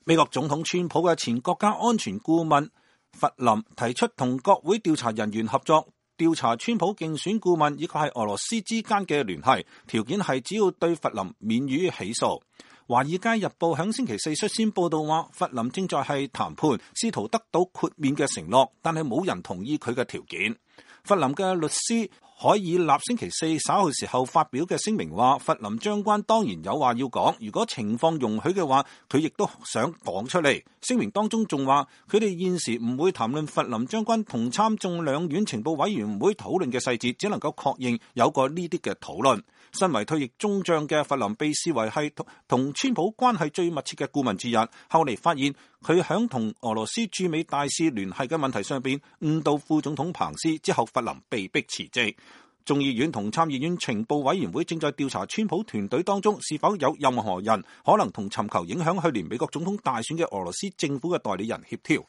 美國總統川普嘅前國家安全顧問弗林提出同國會調查人員合作，調查川普競選顧問以及係俄羅斯之間嘅聯繫，條件係只要對弗林免於起訴。華爾街日報響星期四率先報道話，弗林正在係談判，試圖得到豁免嘅承諾，但係冇人同意佢嘅條件。弗林嘅律師海爾納星期四稍後時候發表嘅聲明話，弗林將軍當然有話要講，如果情況容許嘅話，佢亦都想講出嚟。聲明當中仲話，佢哋現時唔會談論弗林將軍同參眾兩院情報委員會討論嘅細節，只能夠確認有過呢啲嘅討論。身為退役中將嘅弗林被視為係同川普關係最密切嘅顧問之一，後嚟發現佢響同俄羅斯駐美大使聯繫嘅問題上邊誤導副總統彭斯，之後弗林被迫辭職。眾議院同參議院情報委員會正在調查川普團隊當中是否有任何人可能同尋求影響去年美國總統大選嘅俄羅斯政府嘅代理人協調。